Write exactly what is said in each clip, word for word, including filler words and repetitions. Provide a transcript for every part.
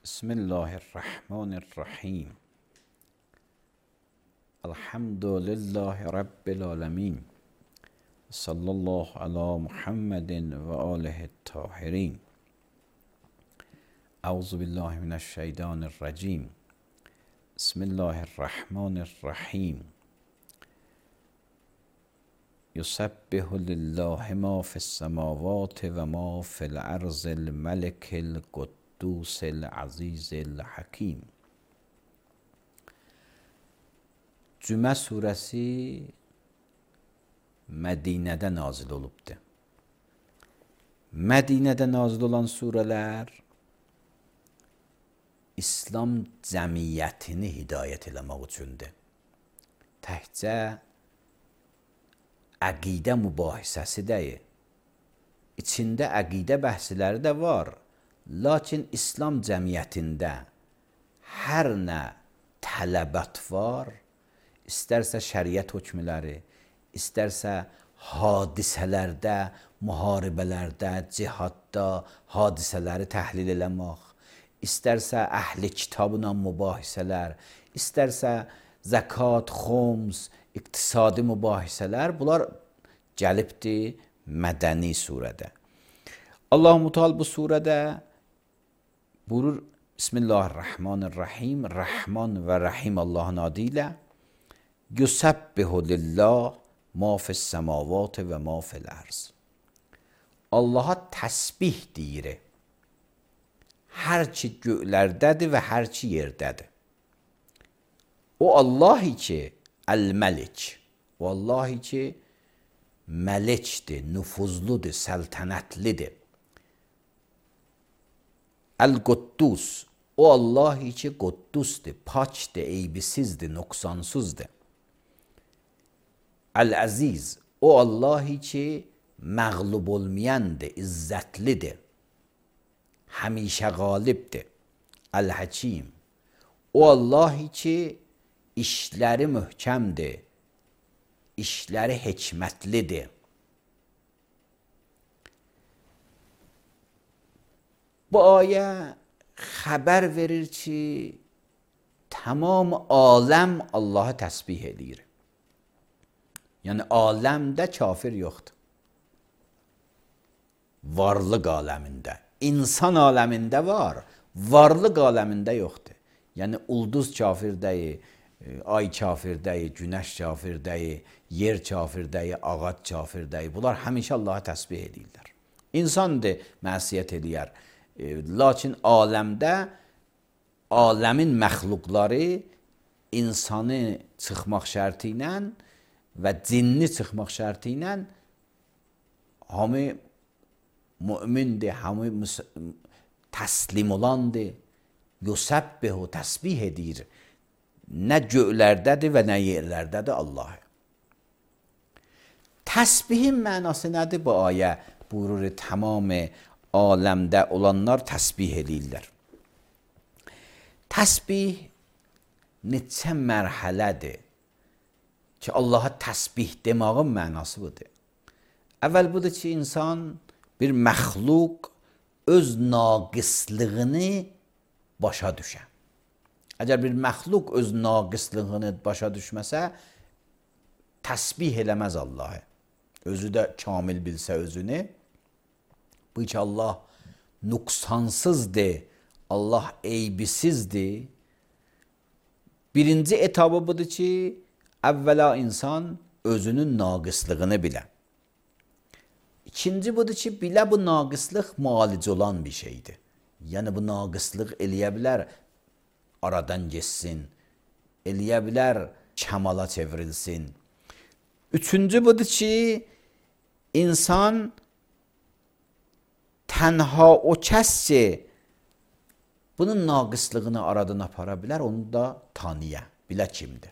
Bismillahirrahmanirrahim. Elhamdülillahi Rabbil alemin. Sallallahu ala Muhammedin ve alihi tahirin. Euzu billahi mineşşeytanirracim. Bismillahirrahmanirrahim. Yusabbihu lillahi ma fis semavati ve ma fil arzil melikil quddusil azizil hakim. Cümə surəsi Mədinədə nazil olubdur. Mədinədə nazil olan surələr İslam cəmiyyətini hidayət eləmək üçündür. Təkcə əqidə mübahisəsi deyil. İçində əqidə bəhsləri də var. Lakin İslam cəmiyyətində hər nə tələbət var, istərsə şəriət hökmləri, istərsə hadisələrdə, müharibələrdə, cihadda hadisələri təhlil eləmək, istərsə əhli kitabla mübahisələr, istərsə zəkat, xums, iqtisadi mübahisələr, bunlar gəlibdir mədəni surədə. Allah-u Teala bu surədə buyurur, Bismillahirrahmanirrahim, Rəhman və Rəhim Allahın adı ilə Yusabbihu lillah ma fis semavati və ma fil arz. Allaha təsbih deyir. Hər ki göylərdədir və hər ki yerdədir. O Allah ki Əl-Məlik, o Allah ki məlikdir, nüfuzludur, səltənətlidir. Əl-Quddus, o Allah ki Quddusdur, pakdır, eybisizdir, nöqsansızdır. Əl-Əziz, o Allah ki məğlub olmayandır, izzətlidir, həmişə qalibdir. Əl-Həkim, o Allah ki işləri möhkəmdir, işləri hikmətlidir. Bu ayə xəbər verir ki, tamam aləm Allahı təsbih edir. Yəni aləmdə kafir yoxdur. Varlıq aləmində, insan aləmində var, varlıq aləmində yoxdur. Yəni ulduz kafir deyil, ay kafir deyil, günəş kafir deyil, yer kafir deyil, ağac kafir deyil. Bunlar həmişə Allahı təsbih edirlər. İnsandır, mənsiyyət edir. Lakin aləmdə, aləmin məxluqları insanı çıxmaq şərti ilə və cinni çıxmaq şərti ilə hamı mümindir, hamı təslim olandır. Yusabbihu, təsbih edir. Nə göylərdədir və nə yerlərdədir Allah. Təsbihin mənası nədir bu ayə? Buyurur, tamam aləmdə olanlar təsbih edirlər. Təsbih neçə mərhələdir ki, Allaha təsbih demağın mənası budur. Əvvəl budur ki, insan bir məxluq öz naqislığını başa düşə. Əgər bir məxluq öz naqislığını başa düşməsə, təsbih eləməz Allahı. Özü də kamil bilsə özünü, bu ki Allah nüqsansızdır, Allah eybisizdir. Birinci etabı budur ki, əvvəla insan özünün naqislığını bilə. İkinci budur ki, bilə bu naqislıq müalicə olan bir şeydir. Yəni bu naqislıq eləyə bilər, aradan geçsin, eləyə bilər, kəmala çevrilsin. Üçüncü budur ki, insan tənha o kəs ki, bunun naqislığını aradan apara bilər, onu da tanıya, bilə kimdir.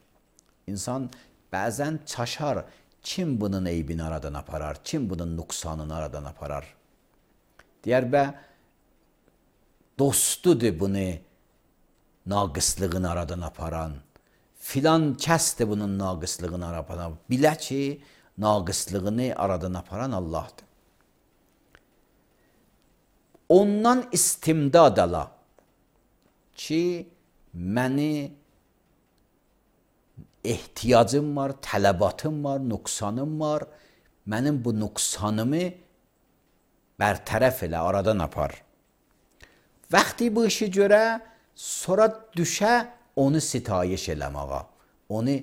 İnsan bəzən çaşar, kim bunun eybini aradan aparar, kim bunun nüqsanını aradan aparar. Deyər bə, dostudur bunu naqislığını aradan aparan, filan kəsdir bunun naqislığını aradan aparan. Bilə ki, naqislığını aradan aparan Allahdır. Ondan istimdad ala. ki, məni ehtiyacım var, tələbatım var, nüqsanım var. Mənim bu nüqsanımı bərtərəf elə, aradan apar. Vaxtı bu işi görə, sonra düşə onu sitayiş eləməğa, onu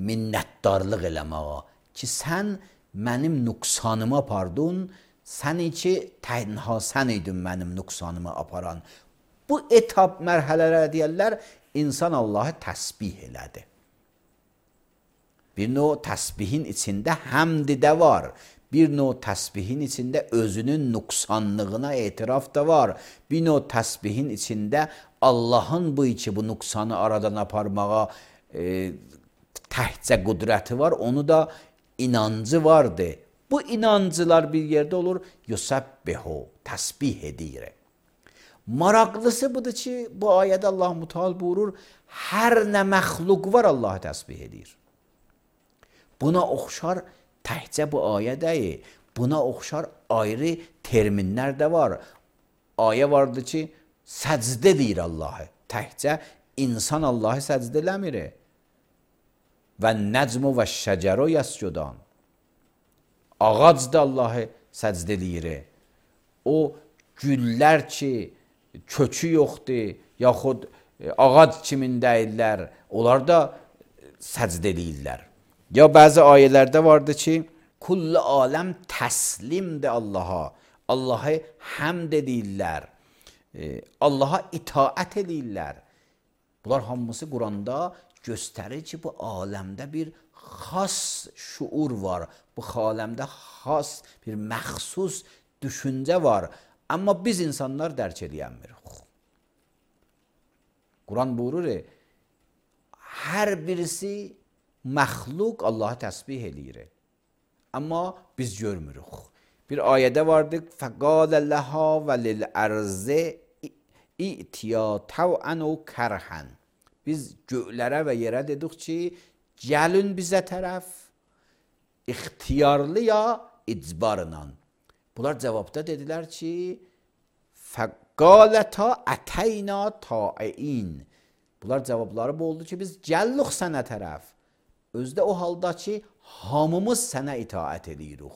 minnətdarlıq eləməğa ki, sən mənim nüqsanımı apardın, sən ki, tənha sən idin mənim nüqsanımı aparan. Bu etap mərhələlər deyərlər, insan Allahı təsbih elədi. Bir növ təsbihin içində həmd də var. Bir növ təsbihin içində özünün nüqsanlığına etiraf da var. Bir növ təsbihin içində Allahın bu iki bu nüqsanı aradan aparmağa e, təhcə qüdrəti var. Onu da inancı vardı. Bu inancılar bir yerdə olur. Yusabbihu, təsbih edir. Maraqlısı budur ki, bu ayədə Allah Müteal buyurur, hər nə məxluq var Allahı təsbih edir. Buna oxşar təhcə bu ayə deyil, buna oxşar ayrı terminlər də var. Ayə vardır ki, səcdə deyir Allahı. Təhcə insan Allahı səcdə eləmir. Və nəcmu və şəcəro yəscudan. Ağac da Allahı səcdə eləyir. O güllər ki, kökü yoxdur, yaxud ağac kimin deyirlər, onlar da səcdə eləyirlər. Ya bəzi ayələrdə vardı ki, kullu aləm təslimdir Allaha. Allahı həmd edirlər. Allaha itaət edirlər. Bunlar hamısı Quranda göstərir ki, bu aləmdə bir xas şuur var. Bu aləmdə xas bir məxsus düşüncə var. Amma biz insanlar dərk edəmirik. Quran buyurur, hər birisi məxluq Allahı təsbih eləyir. Amma biz görmürük. Bir ayədə vardı, فَقَالَ لَهَا وَلِلْأَرْزِ اِئْتِيَا تَوْعَنُ كَرْحًا. Biz göylərə və yerə dedik ki, gəlin bizə tərəf, ixtiyarlı ya icbarla. Bunlar cavabda dedilər ki, فَقَالَتَا أَتَيْنَا تَائِئِينَ. Bunlar cavabları bu oldu ki, biz gəllik sənə tərəf. Özdə o halda ki, hamımız sənə itaət edirik.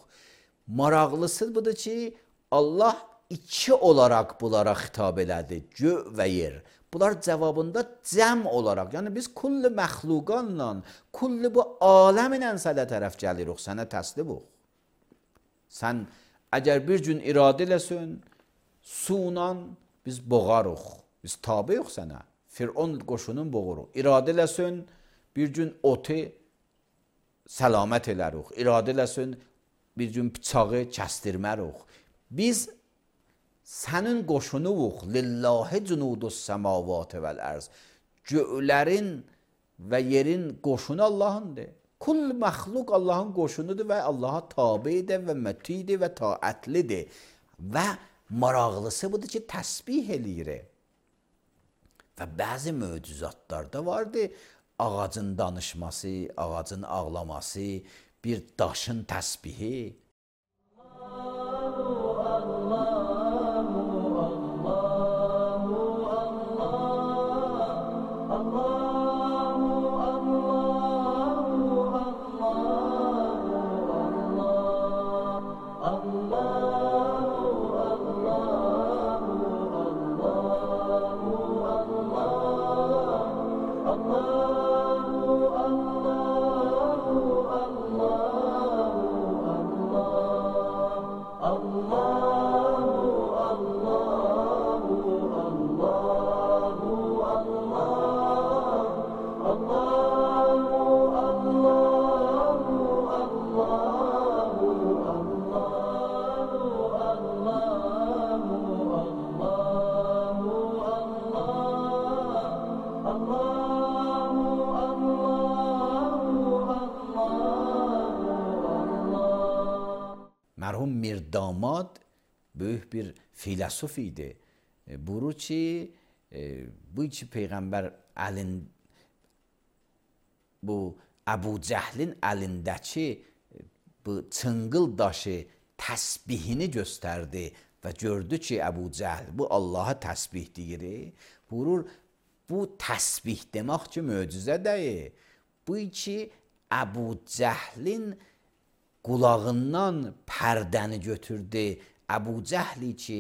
Maraqlısı budur ki, Allah iki olaraq bunlara xitab elədi, gö və yer. Bunlar cavabında cəm olaraq, yəni biz kulli məxluqanla, kulli bu aləmlə sənə tərəf gəlirik, sənə təslimuq. Sən əgər bir gün iradə eləsin, suyla biz boğarıq, biz tabiyik sənə. Firon qoşunun boğuruq. İradə eləsin, bir gün otu səlamət elərik. İradə eləsin, bir gün bıçağı kəstirmərik. Biz sənin qoşunuq. Lillahi cunudus səmavatı vəl ərz. Göylərin və yerin qoşunu Allahındır. Kull məxluq Allahın qoşunudur və Allaha tabidir və mətidir və taətlidir. Və maraqlısı budur ki, təsbih eləyir. Və bəzi möcüzatlar da vardı. Ağacın danışması, ağacın ağlaması, bir daşın təsbihi. Mərhum Mirdamad böyük bir filosof idi. Buyurur ki, bu iki peyğəmbər əlin, bu Əbu Cəhlin əlindəki bu çınqıl daşı təsbihini göstərdi və gördü ki, Əbu Cəhl bu Allaha təsbih deyir. Buyurur, bu təsbih demək ki, möcüzə deyil. Bu ki, Əbu Cəhlin qulağından pərdəni götürdü. Əbu Cəhli ki,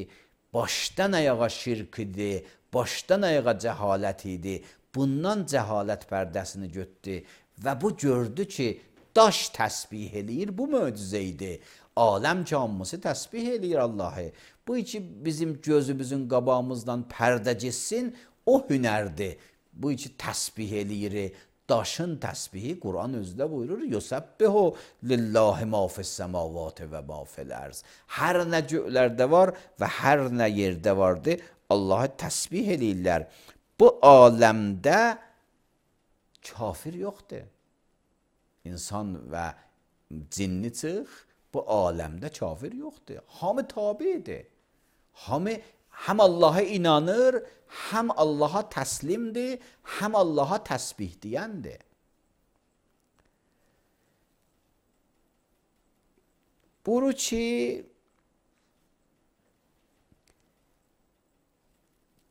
başdan ayağa şirk idi, başdan ayağa cəhalət idi. Bundan cəhalət pərdəsini götürdü və bu gördü ki, daş təsbih eləyir, bu möcüzə idi. Aləm camısı təsbih eləyir Allahı. Bu ki, bizim gözümüzün qabağımızdan pərdə getsin, o hünərdir. Bu ki, təsbih eləyir. Daşın təsbihi Quran özdə buyurur, yusabbihu lillahi ma fis semavati və ma fil arz. Hər nə göylərdə var və hər nə yerdə vardı, Allahı təsbih eləyirlər. Bu aləmdə kafir yoxdur. İnsan və cinni çıx, bu aləmdə kafir yoxdur. Hamı tabidir. Hamı həm Allaha inanır, həm Allaha təslimdir, həm Allaha təsbih deyəndir. Buyurur ki,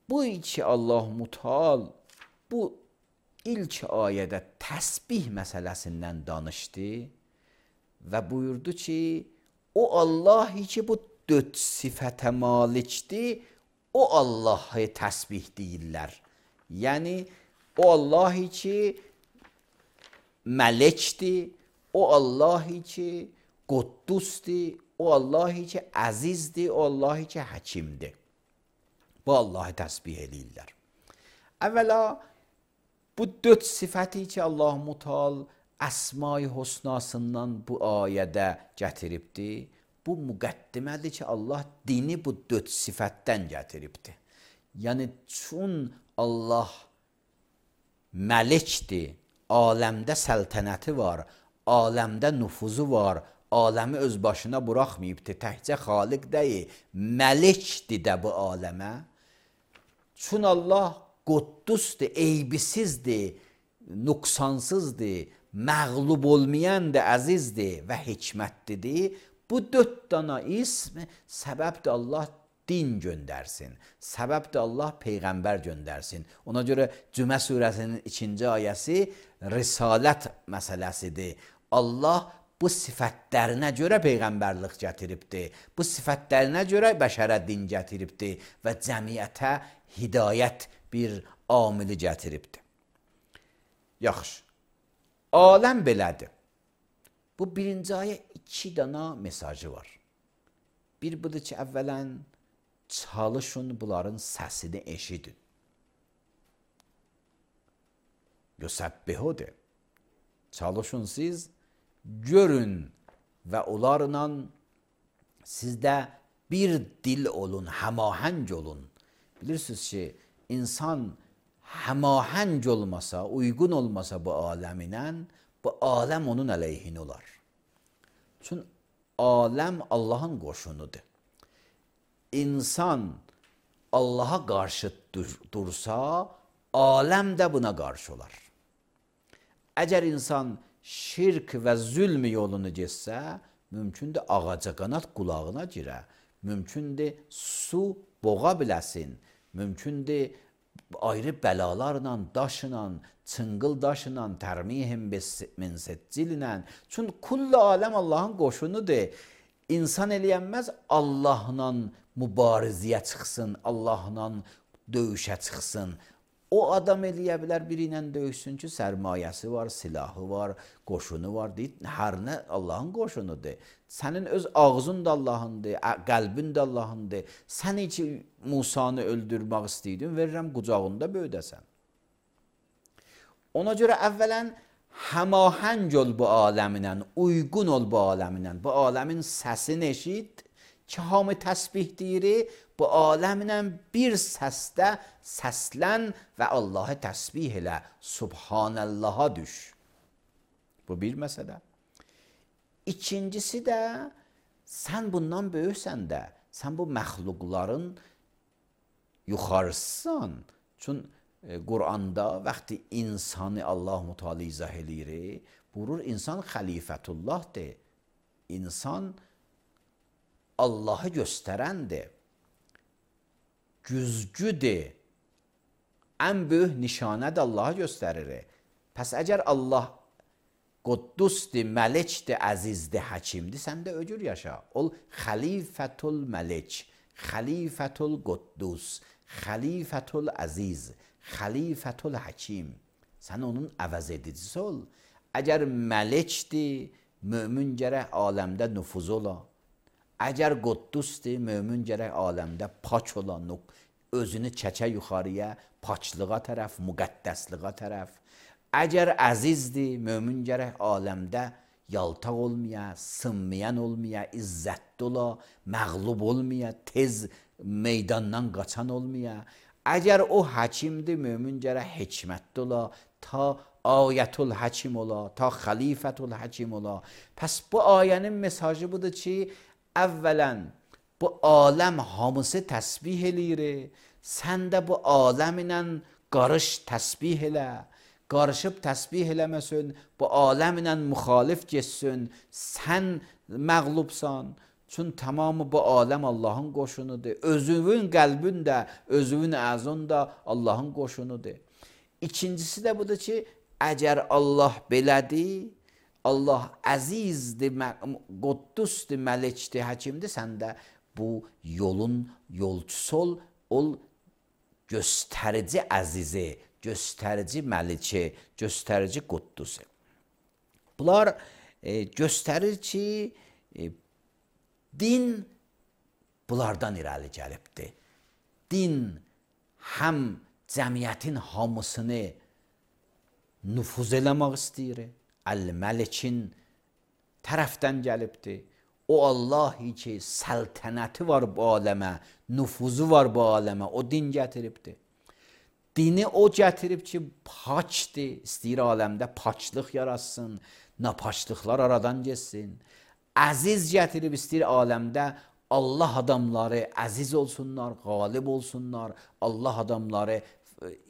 bu iki Allah Mutal bu ilk ayədə təsbih məsələsindən danışdı və buyurdu ki, o Allah ki, bu dörd sifətə malikdir, o Allahı təsbih deyirlər. Yəni, o Allah ki, mələkdir, o Allah ki, Quddusdir, o Allah ki, əzizdir, o Allah ki, həkimdir. Bu Allahı təsbih eləyirlər. Əvvəla, bu dörd sifəti ki, Allah Mutal Əsma-i Husnasından bu ayədə gətiribdir. Bu müqəddimədir ki, Allah dini bu dörd sifətdən gətiribdir. Yəni, çün Allah məlikdir, aləmdə səltənəti var, aləmdə nüfuzu var, aləmi öz başına buraxmayıbdır, təkcə xaliq deyil, məlikdir də bu aləmə. Çün Allah Quddusdur, eybisizdir, nüqsansızdır, məğlub olmayandır, əzizdir və hikmətlidir. Bu dörd dana ism səbəbdir Allah din göndərsin. Səbəbdir Allah peyğəmbər göndərsin. Ona görə Cümə surəsinin ikinci ayəsi risalət məsələsidir. Allah bu sifətlərinə görə peyğəmbərlik gətiribdir. Bu sifətlərinə görə bəşərə din gətiribdir və cəmiyyətə hidayət bir amili gətiribdir. Yaxşı, aləm belədir. Bu birinci ayə iki dana mesajı var. Bir budur ki, əvvələn çalışın bunların səsini eşidin. Yusabbihudur. Çalışın siz, görün və onlarla sizdə bir dil olun, həmahəng olun. Bilirsiniz ki, insan həmahəng olmasa, uyğun olmasa bu aləminə, bu aləm onun əleyhinə olar. Çünki aləm Allahın qoşunudur. İnsan Allaha qarşı dursa, aləm də buna qarşı olar. Əgər insan şirk və zülm yolunu getsə, mümkündür ağaca qanat qulağına girə, mümkündür su boğa biləsin, mümkündür ayrı bəlalarla, daşla, çıngıl daşla, tərmihim min seccillə. Çünki kullu aləm Allahın qoşunudur. İnsan eləyənməz Allahla mübarizəyə çıxsın, Allahla döyüşə çıxsın. O adam eləyə bilər biri ilə döyüşsün ki, sərmayəsi var, silahı var, qoşunu var, deyil. Hər nə Allahın qoşunudur. Sənin öz ağzın da Allahındır, qəlbin də Allahındır. Sən ki, Musanı öldürmək istəydin, verirəm qucağında böyüdəsən. Ona görə əvvələn həmahəng ol bu aləminə, uyğun ol bu aləminə, bu aləmin səsini eşit ki, hamı təsbih deyir, bu aləminə bir səsdə səslən və Allahı təsbih elə, Subhanallaha düş. Bu bir məsələ. İkincisi də, sən bundan böyüksən də, sən bu məxluqların yuxarısısan. Çünki Quranda vaxtı insanı Allah-u Teala izah eləyir, buyurur, insan xəlifətullahdır. İnsan Allahı göstərəndir. güzgüdür. Ən böyük nişanə də Allaha göstərir. Pəs əgər Allah Quddusdur, məlikdir, əzizdir, həkimdir, sən də öcür yaşa. Ol xəlifətul məlik, xəlifətul Quddus, xəlifətul əziz, xəlifətul həkim. Sən onun əvəz edicisi ol. Əgər məlikdir, mömin gərək aləmdə nüfuz ola. Əgər Quddusdur, mömin gərək aləmdə pak ola, özünü çəkə yuxarıya, paklığa tərəf, müqəddəsliğə tərəf. Əgər əzizdir, mömin gərək aləmdə yaltaq olmaya, sınmayan olmaya, izzətli ola, məğlub olmaya, tez meydandan qaçan olmaya. Əgər o həkimdir, mömin gərək hikmətli ola, ta ayətul həkim ola, ta xəlifətul həkim ola. Pəs bu ayənin mesajı budur ki, əvvələn bu aləm hamısı təsbih eləyir. Sən də bu aləm ilə qarış təsbih elə. Qarışıb təsbih eləməsin, bu aləm ilə müxalif geçsin, sən məğlubsan. Çün tamamı bu aləm Allahın qoşunudur. Özünün qəlbin də, özünün əzun da Allahın qoşunudur. İkincisi də budur ki, əgər Allah belədir, Allah əzizdir, Quddusdur, məlikdir, həkimdir, sən də bu yolun yolcusu ol, ol göstərici əzizi, göstərici məlikə, göstərici Quddusu. Bunlar e, göstərir ki, e, din bunlardan irəli gəlibdir. Din həm cəmiyyətin hamısını nüfuz eləmək istəyir, Əl-Məlikin tərəfdən gəlibdir. O Allah ki, səltənəti var bu aləmə, nüfuzu var bu aləmə, o din gətiribdir. Dini o gətirib ki, paçdır, istəyir aləmdə paçlıq yaratsın, napaçlıqlar aradan geçsin. Əziz gətirib istəyir aləmdə Allah adamları əziz olsunlar, qalib olsunlar, Allah adamları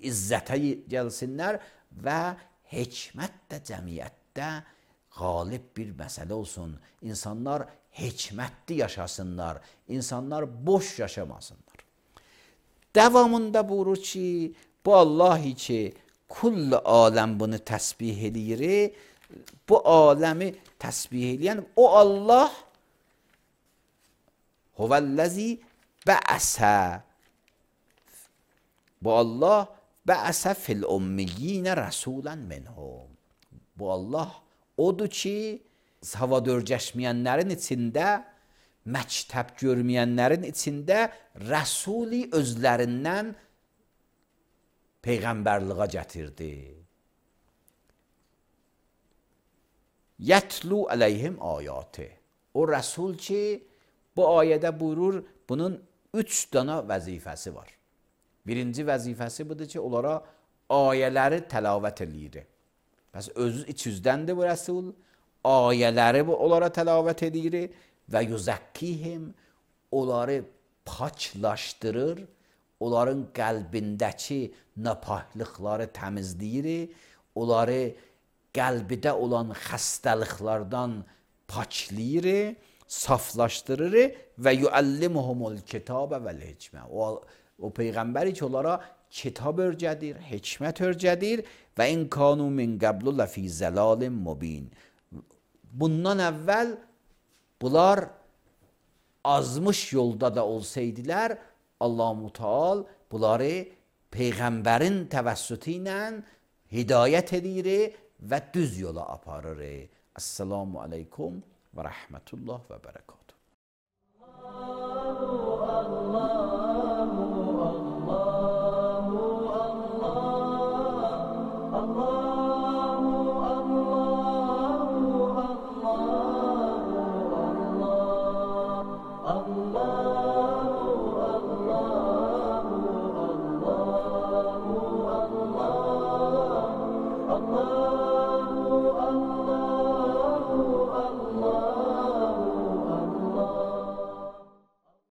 izzətə gəlsinlər və hikmət də cəmiyyətdə qalib bir məsələ olsun. İnsanlar hikmətli yaşasınlar, insanlar boş yaşamasınlar. Devamında buyurur ki, bu Allah ki, kull aləm bunu təsbih eləyir, bu aləmi təsbih eləyən o Allah huvəl-ləzi bəəsə, bu Allah bəəsə fil-ummiyyinə rəsulən minhum. Bu Allah odur ki, havadörgəşməyənlərin içində, məktəb görməyənlərin içində rəsuli özlərindən peyğəmbərliğə gətirdi. Yətlu əleyhim ayatı. O rəsul ki, bu ayədə buyurur, bunun üç dana vəzifəsi var. Birinci vəzifəsi budur ki, onlara ayələri təlavət eləyir. Bəs özü iç yüzdəndir bu rəsul, ayələri onlara təlavət edir və yüzəkkihim, onları paklaşdırır, onların qəlbindəki napahlıqları təmizləyir, onları qəlbidə olan xəstəliklərdən paklayır, saflaşdırır və yuəllimuhumul kitabə vəl hikmə. O, o Peyğəmbəri ki, onlara kitab örgədir, hikmət örgədir və in kanu min qəblu ləfi zəlalin mubin. Bundan əvvəl bunlar azmış yolda da olsaydılar, Allah-u Teala bunları Peyğəmbərin təvəssütü ilə hidayət edir və düz yola aparır. Esselamu aleykum və rəhmətullah və bərəkət.